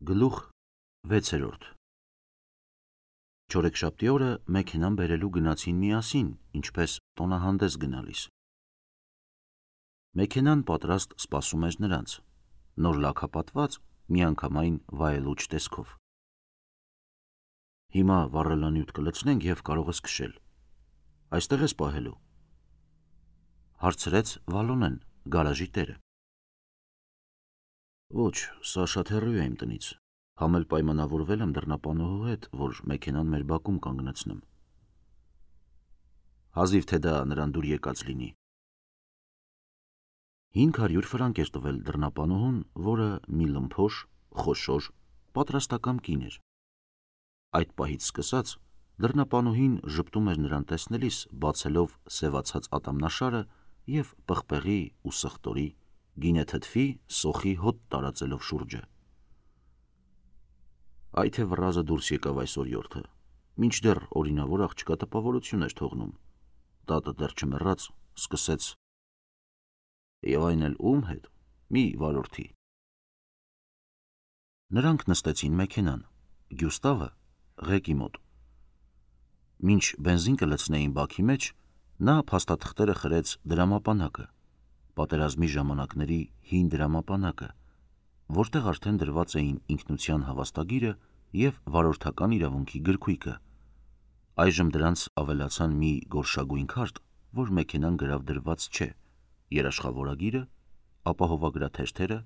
Գլուխ 6. Չորեքշաբթի օրը մեքենան բերելու գնացին միասին, ինչպես տոնահանդես գնալիս։ Մեքենան պատրաստ սպասում էր նրանց, նոր լաքապատված, միանգամայն վայելուչ տեսքով։ Հիմա վառելանյութ կլցնենք և կարող ես քշել։ Այստեղ ես պահելու, հարցրեց Վալոնեն, գարաժի տերը։ Ոչ, սա շատ հեռու է իմ տնից, համել պայմանավորվել եմ դռնապանուհու հետ, որ մեքենան մեր բակում կանգնեցնեմ։ Հազիվ թե դա նրան դուր եկած լինի։ 500 ֆրանկ էր տվել դռնապանուհուն, որը մի լմփոշ, խոշոր, պատրաստակամ կին էր։ Այդ պահից սկսած դռնապանուհին ժպտում էր նրան տեսնելիս, բացելով սևացած ատամնաշարը և պղպեղի ու սխտորի, գինեթթվի, սոխի հոտ տարածելով շուրջը։ Այ թե վռազը դուրս եկավ այս օրիորդը, մինչդեռ օրինավոր աղջկա տպավորություն էր թողնում, տատը դեռ չմեռած, սկսեց. Եվ այն էլ ում հետ, մի վարորդի։ Նրանք նստեցին մեքենան, Գյուստավը ղեկի մոտ։ Մինչ բենզին կլցնեին բաքի մեջ, նա փաստաթղթերը խրեց դրամապանակը, պատերազմի ժամանակների հին դրամապանակը, որտեղ արդեն դրված էին ինքնության հավաստագիրը և վարորդական իրավունքի գրքույկը։ Այժմ դրանց ավելացան մի գորշագույն քարտ, որ մեքենան գրավ դրված չէ, երաշխավորագիրը, ապահովագրաթերթերը,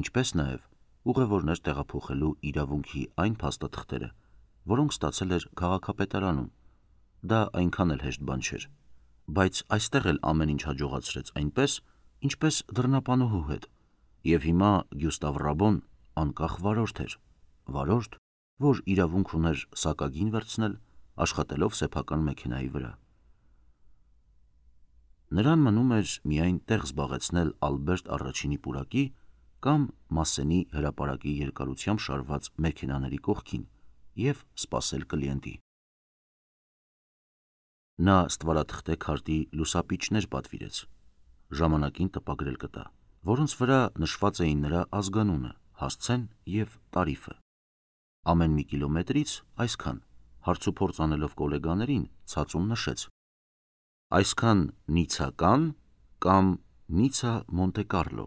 ինչպես նաև ուղևորներ տեղափոխելու իրավունքի այն փաստաթղթերը, որոնք ստացել էր քաղաքապետարանում։ Դա այնքան էլ հեշտ բան չէր, բայց այստեղ էլ ամեն ինչ հաջողացրեց այնպես, ինչպես դռնապանուհու հետ, և հիմա Գյուստավ Ռաբոն անկախ վարորդ էր, վարորդ, որ իրավունք ուներ սակագին վերցնել, աշխատելով սեփական մեքենայի վրա։ Նրան մնում էր միայն տեղ զբաղեցնել Ալբերտ առաջինի պուրակի կամ Մասսենի հրապարակի երկարությամբ շարված մեքենաների կողքին և սպասել կլիենտի։ Նա ստվարաթղթե քարտի լուսապիճներ պատվիրեց, ժամանակին տպագրել կտա, որոնց վրա նշված էին նրա ազգանունը, հասցեն և տարիֆը։ Ամեն մի կիլոմետրից այսքան, հարցուփորձ անելով գոլեգաներին, ցածում նշեց. այսքան Նիցական կամ Նիցա Մոնտե Կարլո։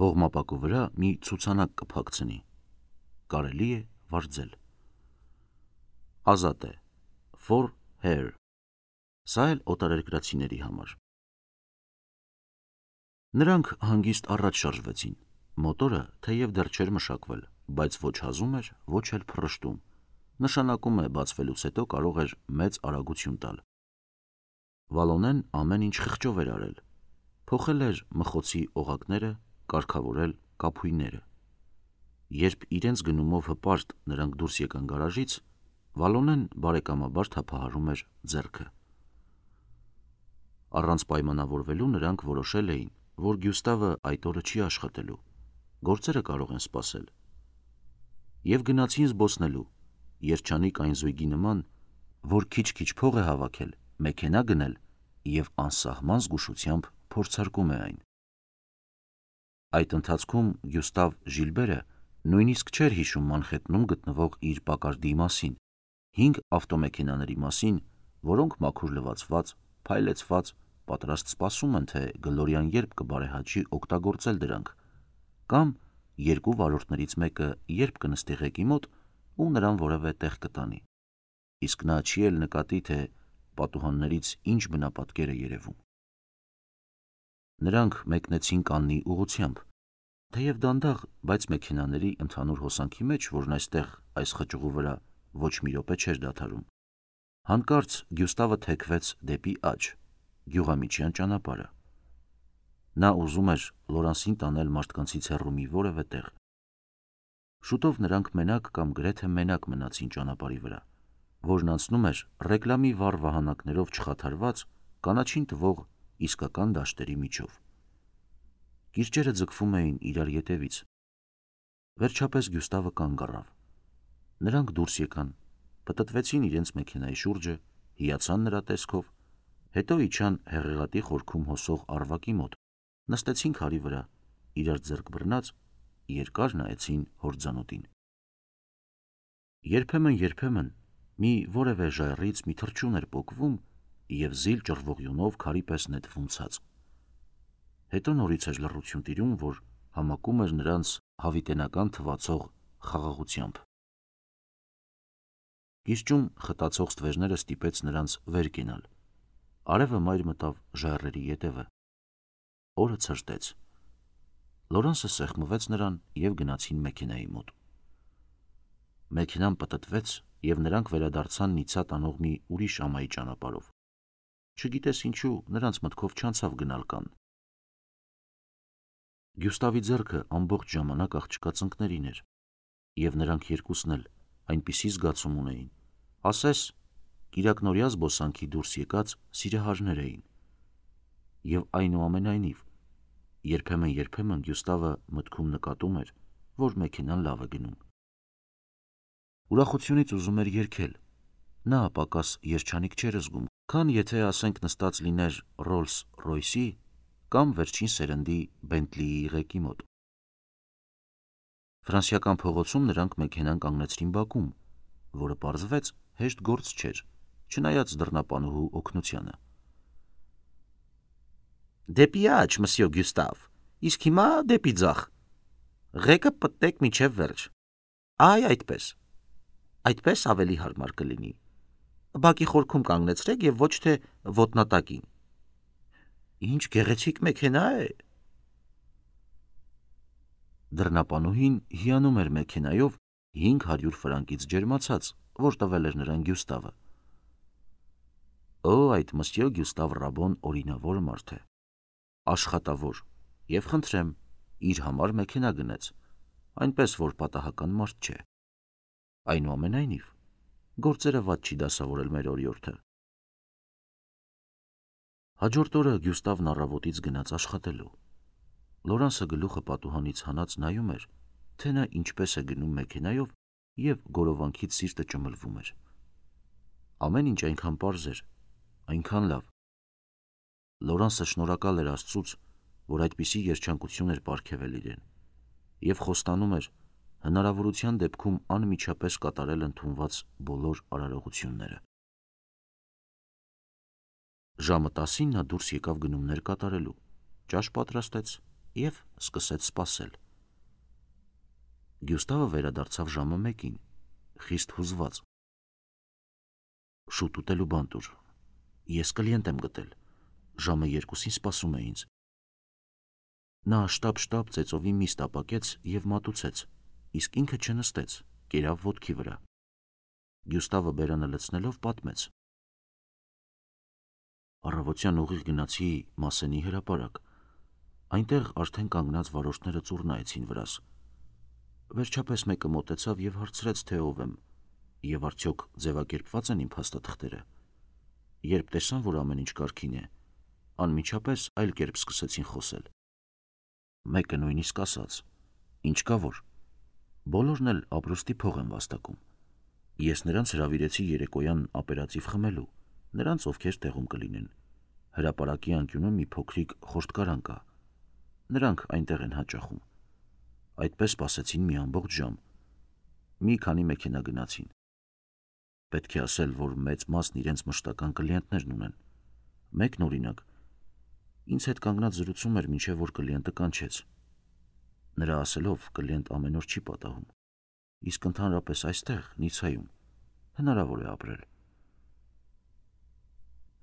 Հողմապակու վրա մի ցուցանակ կփակցնի, կարելի է վարձել։ Ազատ է, for her, սա էլ օտարերկրացիների համար։ Նրանք հանգիստ առաջ շարժվեցին, մոտորը թեև դեռ չէր մշակվել, բայց ոչ հազում էր, ոչ էլ փռշտում, նշանակում է բացվելուց հետո կարող էր մեծ արագություն տալ։ Վալոնեն ամեն ինչ խղճով էր արել, փոխել էր մխոցի օղակները, կարգավորել կափույները։ Երբ իրենց գնումով հպարտ նրանք դուրս եկան գարաժից, Վալոնեն բարեկամաբար թափահարում էր ձեռքը։ Առանց պայմանավորվելու նրանք որոշել էին, որ Գյուստավը այդ օրը չի աշխատելու, գործերը կարող են սպասել։ Եվ գնացին զբոսնելու, երջանիկ այն զույգի նման, որ քիչ-քիչ փող է հավաքել, մեքենա գնել և անսահման զգուշությամբ փորձարկում է այն։ Այդ ընթացքում Գյուստավ Ժիլբերը նույնիսկ չէր հիշում Մանխեթնում գտնվող իր պակարդի մասին, 5 ավտոմեքենաների մասին, որոնք մաքուր լվացված, փայլեցված, պատրաստ սպասում են, թե Գլորյան երբ կբարեհաճի օգտագործել դրանք, կամ երկու վարորդներից մեկը երբ կնստի ղեկի մոտ ու նրան որևէ տեղ կտանի, իսկ նա չի էլ նկատի, թե պատուհաններից ինչ բնապատկեր է երևում։ Նրանք մեկնեցին Կաննի ուղղությամբ, թեև դանդաղ, բայց մեքենաների ընդհանուր հոսանքի մեջ, որն այստեղ այս խճուղու վրա ոչ մի րոպե չէր դադարում, հանկարծ Գյուստավը թեքվեց դեպի աջ, գյուղամիջյան ճանապարհը։ Նա ուզում էր Լորանսին տանել մարդկանցից հեռու մի որևէ տեղ։ Շուտով նրանք մենակ կամ գրեթե մենակ մնացին ճանապարհի վրա, որն անցնում էր ռեկլամի վառ վահանակներով չխաթարված, կանաչին տվող իսկական դաշտերի միջով։ Կիրճերը ձգվում էին իրար ետևից։ Վերջապես Գյուստավը կանգ առավ։ Նրանք դուրս եկան, պտտվեցին իրենց մեքենայի շուրջը, հիացան նրա տեսքով, հետո իջան հեղեղատի խորքում հոսող առվակի մոտ, նստեցին քարի վրա, իրար ձեռք բռնած երկար նայեցին հորձանուտին։ Երբեմն մի որևէ ժայռից մի թռչուն էր պոկվում և զիլ ճռվողյունով քարի պես նետվում ցած։ Հետո նորից էր լռություն տիրում, որ համակում էր նրանց հավիտենական թվացող խաղաղությամբ։ Կիրճում խտացող ստվերները ստիպեց նրանց վեր կենալ։ Արևը մայր մտավ ժայռերի ետևը։ Օրը ցրտեց։ Լորանսը սեղմվեց նրան և գնացին մեքենայի մոտ։ Մեքենան պտտվեց և նրանք վերադարձան Նիցա տանող մի ուրիշ ամայի ճանապարհով։ Չգիտես ինչու նրանց մտքով չանցավ գնալ Կանն։ Գյուստավի ձեռքը ամբողջ ժամանակ աղջկա ծնկներին էր, և նրանք երկուսն էլ այնպիսի զգացում ունեին, ասես կիրակնօրյա զբոսանքի դուրս եկած սիրահարներ էին։ Եվ այնուամենայնիվ, երբեմն Գյուստավը մտքում նկատում էր, որ մեքենան լավ է գնում։ Ուրախությունից ուզում էր երգել։ Նա պակաս երջանիկ չէր զգում, քան եթե ասենք նստած լիներ Ռոլս Ռոյսի կամ վերջին սերնդի Բենտլիի ղեկի մոտ։ Ֆրանսիական փողոցում նրանք մեքենան կանգնեցրին բակում, որը պարզվեց հեշտ գործ չէր, չնայած դռնապանուհու օգնությանը։ Դեպի աջ, մսյո Գյուստավ, իսկ հիմա դեպի ձախ։ Ղեկը պտտեք մինչև վերջ։ Այ այդպես։ Այդպես ավելի հարմար կլինի։ Բակի խորքում կանգնեցրեք և ոչ թե ոտնատակին։ Ինչ գեղեցիկ մեքենա է։ Դռնապանուհին հիանում էր մեքենայով 500 ֆրանկից ջերմացած, որ տվել էր նրան Գյուստավը։ Օ, այդ մսյո Գյուստավ Ռաբոն օրինավոր մարդ է, աշխատավոր, և խնդրեմ, իր համար մեքենա գնեց, այնպես որ պատահական մարդ չէ։ Այնուամենայնիվ, գործերը վատ չի դասավորել մեր օրիորդը։ Հաջորդ օրը Գյուստավն առավոտից գնաց աշխատելու։ Լորանսը գլուխը պատուհանից հանած նայում էր, թե նա ինչպես է գնում մեքենայով և գորովանքից սիրտը ճմլվում էր։ Ամեն ինչ այնքան պարզ էր, այնքան լավ։ Լորանսը շնորհակալ էր Աստծուց, որ այդպիսի երջանկություն էր պարգևել իրեն, և խոստանում էր հնարավորության դեպքում անմիջապես կատարել ընդունված բոլոր արարողությունները։ Ժամը 10-ին նա դուրս եկավ գնումներ կատարելու, ճաշ պատրաստեց և սկսեց սպասել։ Գյուստավը վերադարձավ ժամը 1-ին, խիստ հուզված։ Շուտ ուտելու բան տուր, ես կլիենտ եմ գտել, ժամը 2-ին սպասում է ինձ։ Նա շտապ ծեծովի միս տապակեց և մատուցեց, իսկ ինքը չնստեց, կերավ ոտքի վրա։ Գյուստավը բերանը լցնելով պատմեց. Առավոտյան ուղիղ գնացի Մասենի հրապարակ, այնտեղ արդեն կանգնած վարորդները ծուռ նայեցին վրաս։ Վերջապես մեկը մոտեցավ և հարցրեց, թե ով եմ, և արդյոք ձևակերպված են իմ փաստաթղթերը։ Երբ տեսան, որ ամեն ինչ կարգին է, անմիջապես այլ կերպ սկսեցին խոսել։ Մեկը նույնիսկ ասաց. ինչ կա որ, բոլորն էլ ապրուստի փող են վաստակում։ Ես նրանց հրավիրեցի երեկոյան ապերատիվ խմելու, նրանց, ովքեր տեղում կլինեն։ Հրապարակի անկյունում մի փոքրիկ խորտկարան կա։ Նրանք այնտեղ են հաճախում։ Այդպես սպասեցին մի ամբողջ ժամ։ Մի քանի մեքենա գնացին։ Պետք է ասել, որ մեծ մասն իրենց մշտական կլիենտներն ունեն։ Մեկն օրինակ ինձ հետ կանգնած զրուցում էր, մինչև որ կլիենտը կանչեց։ Նրա ասելով, կլիենտ ամեն օր չի պատահում, իսկ ընդհանրապես այստեղ, Նիցայում, հնարավոր է ապրել։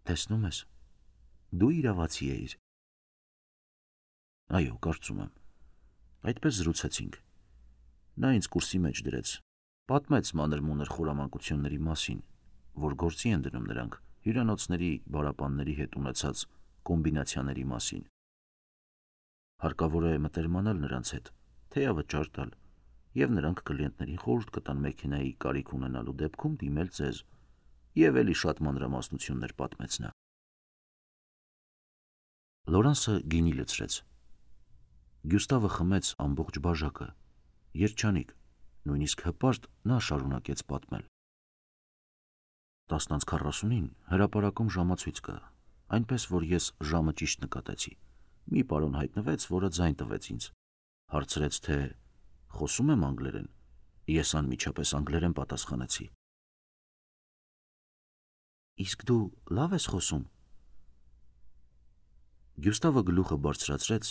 Տեսնում ես, դու իրավացի էիր։ Այո, կարծում եմ։ Այդպես զրուցեցինք։ Նա ինձ կուրսի մեջ դրեց, պատմեց մանր-մունր խորամանկությունների մասին, որ գործի են դնում նրանք հյուրանոցների բարապանների հետ ունեցած կոմբինացիաների մասին։ Հարկավոր է մտերմանալ նրանց հետ, թեյավճար տալ, և նրանք կլիենտներին խորհուրդ կտան մեքենայի կարիք ունենալու դեպքում դիմել ձեզ, և էլի շատ մանրամասնություններ պատմեց նա։ Լորանսը գինի լցրեց։ Գյուստավը խմեց ամբողջ բաժակը, երջանիկ, նույնիսկ հպարտ նա շարունակեց պատմել։ 10:40-ին հրապարակում ժամացույց կա, այնպես որ ես ժամը ճիշտ նկատեցի։ Մի պարոն հայտնվեց, որը ձայն տվեց ինձ, հարցրեց, թե Խոսում եմ անգլերեն։ Ես անմիջապես անգլերեն պատասխանեցի։ Իսկ դու լավ ես խոսում։ Գյուստավը գլուխը բարձրացրեց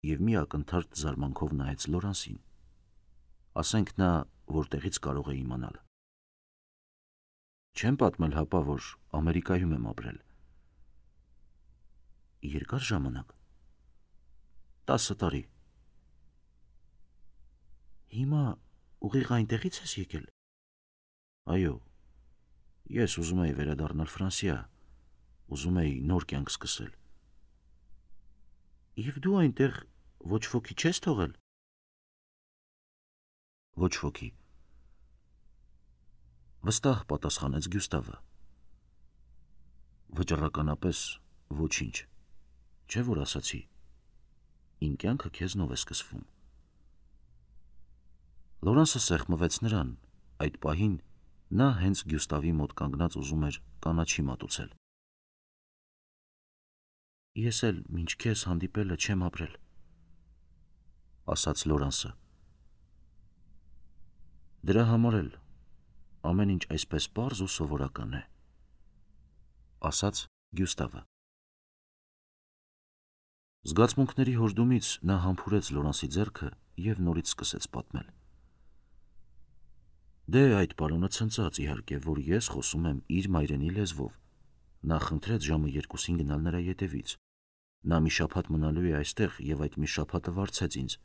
և մի ակնթարթ զարմանքով նայեց Լորանսին։ Ասենք նա որտեղից կարող է իմանալ։ Չեմ պատմել հապա, որ Ամերիկայում եմ ապրել։ Երկար ժամանակ։ 10 տարի։ Հիմա ուղիղ այնտեղից ես եկել։ Այո, ես ուզում էի վերադառնալ Ֆրանսիա, ուզում էի նոր կյանք սկսել։ Եվ դու այնտեղ ոչ ոքի չես թողել։ Ոչ ոքի։ Վստահ պատասխանեց Գյուստավը։ Վճռականապես ոչինչ։ Չէ՞ որ ասացի, իմ կյանքը քեզնով է սկսվում։ Լորանսը սեղմվեց նրան, այդ պահին նա հենց Գյուստավի մոտ կանգնած ուզում էր կանաչի մատուցել։ Ես էլ մինչ քեզ հանդիպելը չեմ ապրել, ասաց Լորանսը։ Դրա համար էլ ամեն ինչ այսպես պարզ ու սովորական է, ասաց Գյուստավը։ Զգացմունքների հորդումից նա համբուրեց Լորանսի ձեռքը և նորից սկսեց պատմել։ Դե այդ պարոնը ցնծաց իհարկե, որ ես խոսում եմ իր մայրենի լեզվով։ Նա խնդրեց ժամը 2-ին գնալ նրա ետևից։ Նա մի շաբաթ մնալու է այստեղ և այդ մի շաբաթը վարձեց ինձ։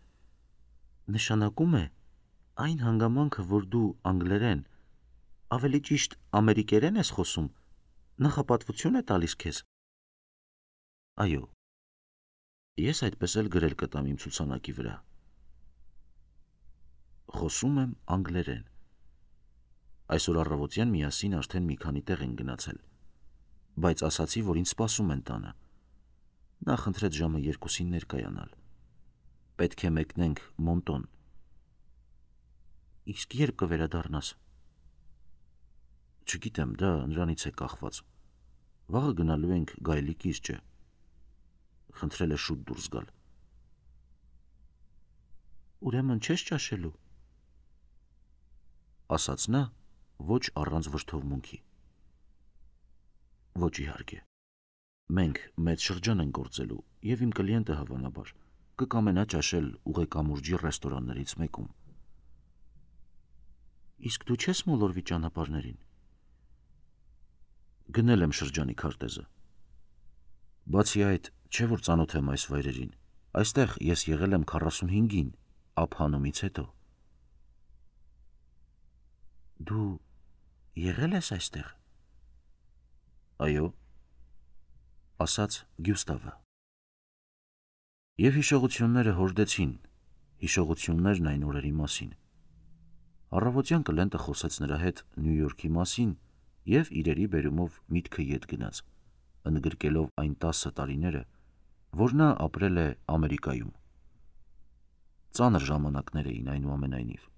Նշանակում է այն հանգամանքը, որ դու անգլերեն, ավելի ճիշտ ամերիկերեն ես խոսում, նախապատվություն է տալիս քեզ։ Այո, ես այդպես էլ գրել կտամ իմ ցուցանակի վրա։ Խոսում եմ անգլերեն։ Այսօր առավոտյան միասին արդեն մի քանի տեղ են գնացել, բայց ասացի, որ ինձ սպասում են տանը։ Նա խնդրեց ժամը 2-ին ներկայանալ։ Պետք է մեկնենք Մոնտոն։ Իսկ երբ կվերադառնաս։ Չգիտեմ, դա նրանից է կախված։ Վաղը գնալու ենք Գայլի կիրճը։ Խնդրել է շուտ դուրս գալ։ Ուրեմն չես ճաշելու, ասաց նա, ոչ առանց վրդովմունքի։ Ոչ իհարկե։ Մենք մեծ շրջան ենք գործելու, և իմ կլիենտը հավանաբար կկամենա ճաշել ուղեկամուրջի ռեստորաններից մեկում։ Իսկ դու չես մոլորվի ճանապարհներին։ Գնել եմ շրջանի քարտեզը։ Բացի այդ, չէ որ ծանոթ եմ այս վայրերին։ Այստեղ ես եղել եմ 45-ին, ափհանումից հետո։ Դու եղել ես այստեղ։ Այո, ասաց Գյուստավը։ Եվ հիշողությունները հորդեցին, հիշողություններն այն օրերի մասին։ Առավոտյան կլենտը խոսեց նրա հետ Նյու Յորքի մասին և իրերի բերումով միտքը ետ գնաց, ընդգրկելով այն 10 տարիները, որ նա ապրել է Ամերիկայում։ Ծանր ժամանակներ էին այնուամենայնիվ։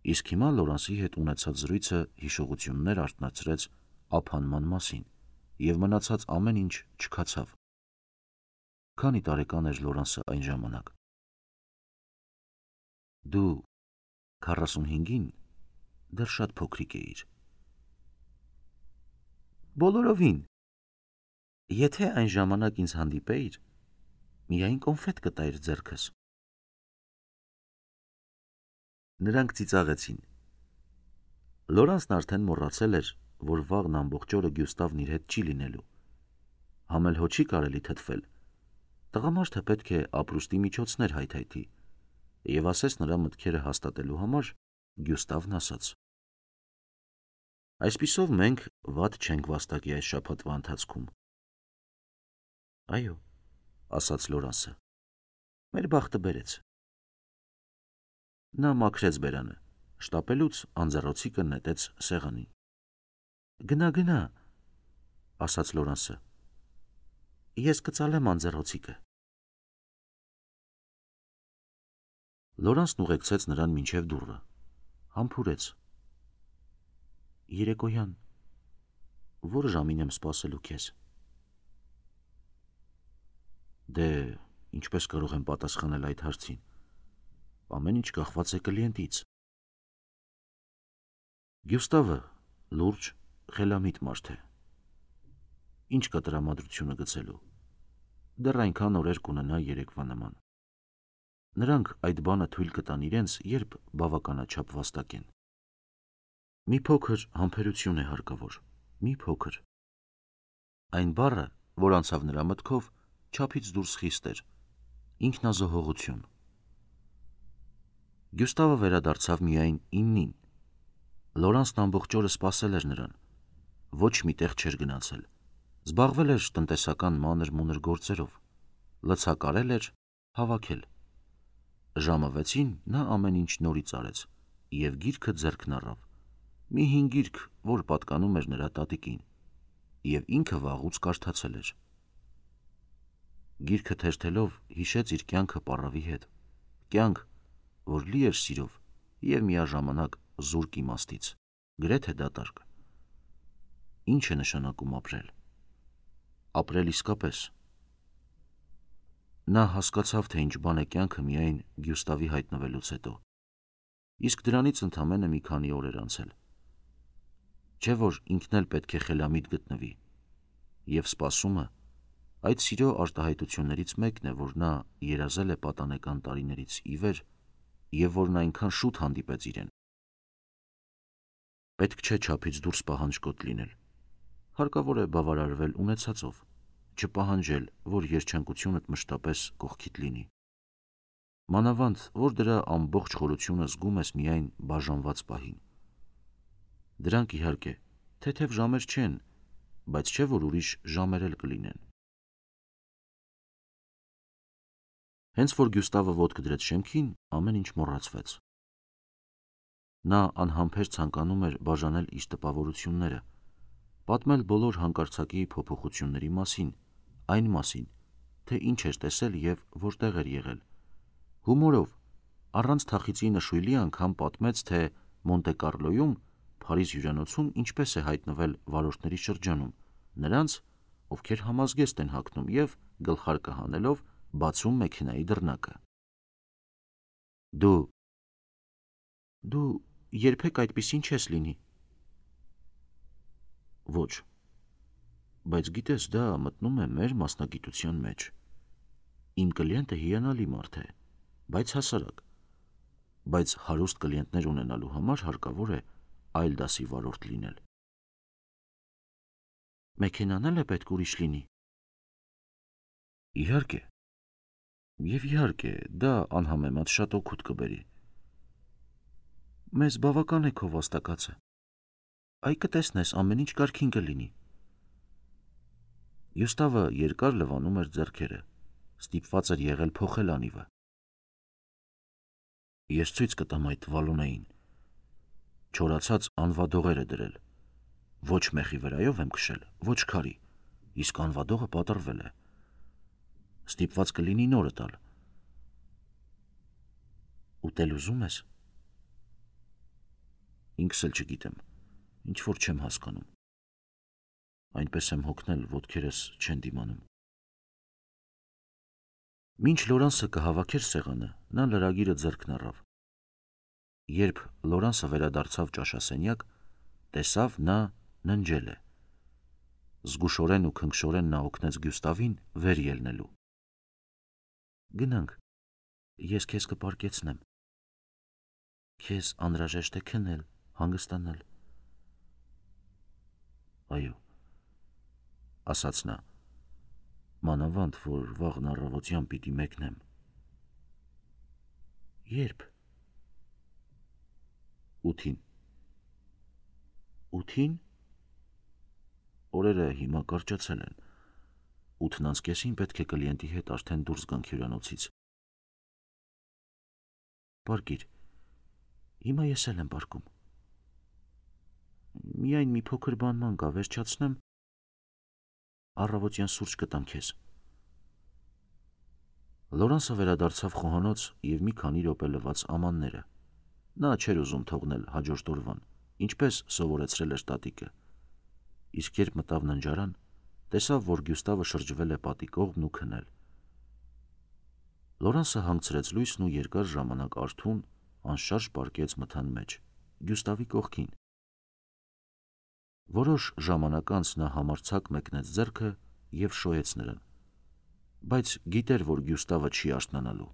Իսկ հիմա Լորանսի հետ ունեցած զրույցը հիշողություններ արթնացրեց ափանման մասին, և մնացած ամեն ինչ չքացավ։ Քանի տարեկան էր Լորանսը այն ժամանակ։ Դու 45-ին դեռ շատ փոքրիկ էիր։ Բոլորովին։ Եթե այն ժամանակ ինձ հանդիպեիր, միայն կոնֆետ կտայիր ձեռքս։ Նրանք ծիծաղեցին։ Լորանսն արդեն մոռացել էր, որ վաղն ամբողջ օրը Գյուստավն իր հետ չի լինելու։ Համել հո չի կարելի թթվել։ Տղամարդը պետք է ապրուստի միջոցներ հայթայթի, և ասես նրա մտքերը հաստատելու համար Գյուստավն ասաց. Այսպիսով մենք վատ չենք վաստակի այս շաբաթվա ընթացքում։ Այո, ասաց Լորանսը, մեր բախտը բերեց։ Նա մաքրեց բերանը, շտապելուց անձեռոցիկը նետեց սեղանին։ Գնա, ասաց Լորանսը, ես կծալեմ անձեռոցիկը։ Լորանսն ուղեկցեց նրան մինչև դուռը, համբուրեց։ Երեկոյան, որ ժամին եմ սպասելու քեզ։ Դե, ինչպես կարող եմ պատասխանել այդ հարցին։ Ամեն ինչ կախված է կլիենտից։ Գյուստավը լուրջ, խելամիտ մարդ է։ Ինչ կա տրամադրությունը գցելու։ Դեռ այնքան օրեր կունենա երեկվա նման։ Նրանք այդ բանը թույլ կտան իրենց, երբ բավականաչափ վաստակեն։ Մի փոքր համբերություն է հարկավոր, մի փոքր։ Այն բառը, որ անցավ նրա մտքով, չափից դուրս խիստ էր, ինքնազոհողություն։ Գյուստավը վերադարձավ միայն 9-ին։ Լորանսն ամբողջ օրը սպասել էր նրան, ոչ մի տեղ չէր գնացել, զբաղվել էր տնտեսական մանր-մունր գործերով, լցակարել էր, հավաքել։ Ժամը 6-ին նա ամեն ինչ նորից արեց և գիրքը ձեռքն առավ, մի հին գիրք, որ պատկանում էր նրա տատիկին, և ինքը վաղուց կարդացել էր։ Գիրքը թերթելով հիշեց իր կյանքը պառավի հետ, կյանք, որ լի էր սիրով և միաժամանակ զուրկ իմաստից, գրեթե դատարկ։ Ինչ է նշանակում ապրել։ Ապրել իսկապես։ Նա հասկացավ, թե ինչ բան է կյանքը միայն Գյուստավի հայտնվելուց հետո, իսկ դրանից ընդամենը մի քանի օր էր անցել։ Չէ՞ որ ինքն էլ պետք է խելամիտ գտնվի, և սպասումը այդ սիրո արտահայտություններից մեկն է, որ նա երազել է պատանեկան տարիներից ի վեր և որն այնքան շուտ հանդիպեց իրեն։ Պետք չէ չափից դուրս պահանջկոտ լինել, հարկավոր է բավարարվել ունեցածով, չպահանջել, որ երջանկությունդ մշտապես կողքիդ լինի։ Մանավանդ, որ դրա ամբողջ խորությունը զգում ես միայն բաժանված պահին։ Դրանք իհարկե թեթև ժամեր չեն, բայց չէ որ ուրիշ ժամեր էլ կլինեն։ Հենց որ Գյուստավը ոտք դրեց շեմքին, ամեն ինչ մոռացվեց։ Նա անհամբեր ցանկանում էր բաժանել իր տպավորությունները, պատմել բոլոր հանկարծակի փոփոխությունների մասին, այն մասին, թե ինչ էր տեսել և որտեղ էր եղել։ Հումորով, առանց թախիծի նշույլի անգամ պատմեց, թե Մոնտե Կարլոյում, Փարիզ հյուրանոցում ինչպես է հայտնվել վարորդների շրջանում, նրանց, ովքեր համազգեստ են հագնում և, գլխարկը հանելով, բացում մեքենայի դռնակը։ Դու երբեք այդպիսին չես լինի։ Ոչ, բայց գիտես, դա մտնում է մեր մասնագիտության մեջ։ Իմ կլիենտը հիանալի մարդ է, բայց հասարակ, բայց հարուստ կլիենտներ ունենալու համար հարկավոր է այլ դասի վարորդ լինել։ Մեքենան էլ է պետք ուրիշ լինի։ Իհարկե, և իհարկե, դա անհամեմատ շատ օգուտ կբերի։ Մեզ բավական է քո վաստակածը։ Այ կտեսնես, ամեն ինչ կարգին կլինի։ Գյուստավը երկար լվանում էր ձեռքերը, ստիպված էր եղել փոխել անիվը։ Ես ցույց կտամ այդ Վալոնեին։ Չորացած անվադողեր է դրել։ Ոչ մեխի վրայով եմ քշել, ոչ քարի, իսկ անվադողը պատռվել է։ Ստիպված կլինի նորը տալ։ Ուտել ուզում ես։ Ինքս էլ չգիտեմ, ինչ որ չեմ հասկանում։ Այնպես եմ հոգնել, ոտքերս չեն դիմանում։ Մինչ Լորանսը կհավաքեր սեղանը, նա լրագիրը ձեռքն առավ։ Երբ Լորանսը վերադարձավ ճաշասենյակ, տեսավ նա ննջել է։ Զգուշորեն ու քնքշորեն նա օգնեց Գյուստավին վեր ելնելու։ Գնանք, ես քեզ կպարկեցնեմ։ Քեզ անհրաժեշտ է քնել, հանգստանալ։ Այո, ասաց նա, մանավանդ, որ վաղն առավոտյան պիտի մեկնեմ։ Երբ։ 8-ին։ 8-ին։ Օրերը հիմա կարճացել են։ 8:30-ին պետք է կլիենտի հետ արդեն դուրս գանք հյուրանոցից։ Պարկիր, հիմա ես էլ եմ պարկում։ Միայն մի փոքր բանման կա, վերջացնեմ, առավոտյան սուրճ կտամ քեզ։ Լորանսը վերադարձավ խոհանոց և մի քանի րոպե լվաց ամանները։ Նա չէր ուզում թողնել հաջորդ օրվան, ինչպես սովորեցրել էր տատիկը։ Իսկ երբ մտավ ննջարան, տեսավ, որ Գյուստավը շրջվել է պատի կողմն ու քնել։ Լորանսը հանգցրեց լույսն ու երկար ժամանակ արթուն, անշարժ պառկեց մթան մեջ, Գյուստավի կողքին։ Որոշ ժամանակ անց նա համարձակ մեկնեց ձեռքը և շոյեց նրան, բայց գիտեր, որ Գյուստավը չի արթնանալու։